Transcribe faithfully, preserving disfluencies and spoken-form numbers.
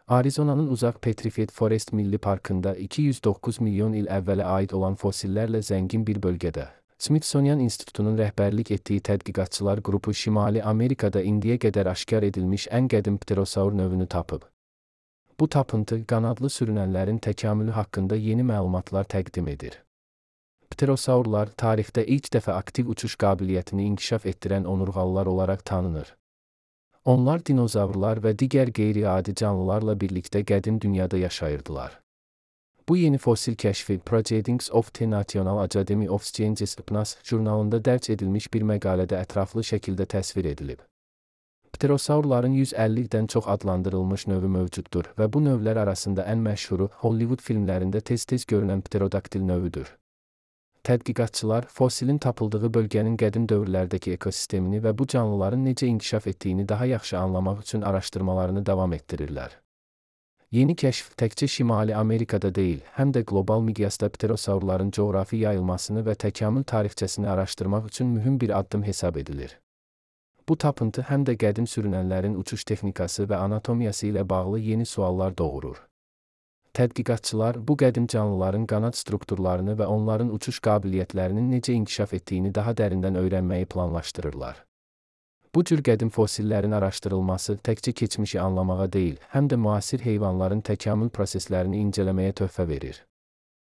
Arizona'nın uzaq Petrified Forest Milli Parkında iki yüz doqquz milyon il əvvələ aid olan fosillərlə zəngin bir bölgədə, Smithsonian İnstitutunun rəhbərlik etdiyi tədqiqatçılar qrupu Şimali Amerikada indiyə qədər aşkar edilmiş ən qədim pterosaur növünü tapıb. Bu tapıntı, qanadlı sürünənlərin təkamülü haqqında yeni məlumatlar təqdim edir. Pterosaurlar tarixdə ilk dəfə aktiv uçuş qabiliyyətini inkişaf etdirən onurğalılar olaraq tanınır. Onlar dinozavrlar və digər qeyri-adi canlılarla birlikdə qədim dünyada yaşayırdılar. Bu yeni fosil kəşfi Proceedings of the National Academy of Sciences P N A S jurnalında dərc edilmiş bir məqalədə ətraflı şəkildə təsvir edilib. Pterosaurların yüz əllidən çox adlandırılmış növü mövcuddur və bu növlər arasında ən məşhuru Hollywood filmlərində tez-tez görünən pterodaktil növüdür. Tədqiqatçılar fosilin tapıldığı bölgənin qədim dövrlərdəki ekosistemini və bu canlıların necə inkişaf etdiyini daha yaxşı anlamaq üçün araşdırmalarını davam etdirirlər. Yeni kəşf təkcə Şimali Amerikada deyil, həm də qlobal miqyasda pterosaurların coğrafi yayılmasını və təkamül tarixçəsini araşdırmaq üçün mühüm bir addım hesab edilir. Bu tapıntı həm də qədim sürünənlərin uçuş texnikası və anatomiyası ilə bağlı yeni suallar doğurur. Tədqiqatçılar bu qədim canlıların qanad strukturlarını və onların uçuş qabiliyyətlərinin necə inkişaf etdiyini daha dərindən öyrənməyi planlaşdırırlar. Bu cür qədim fosillərin araşdırılması təkcə keçmişi anlamağa deyil, həm də müasir heyvanların təkamül proseslərini incələməyə töhfə verir.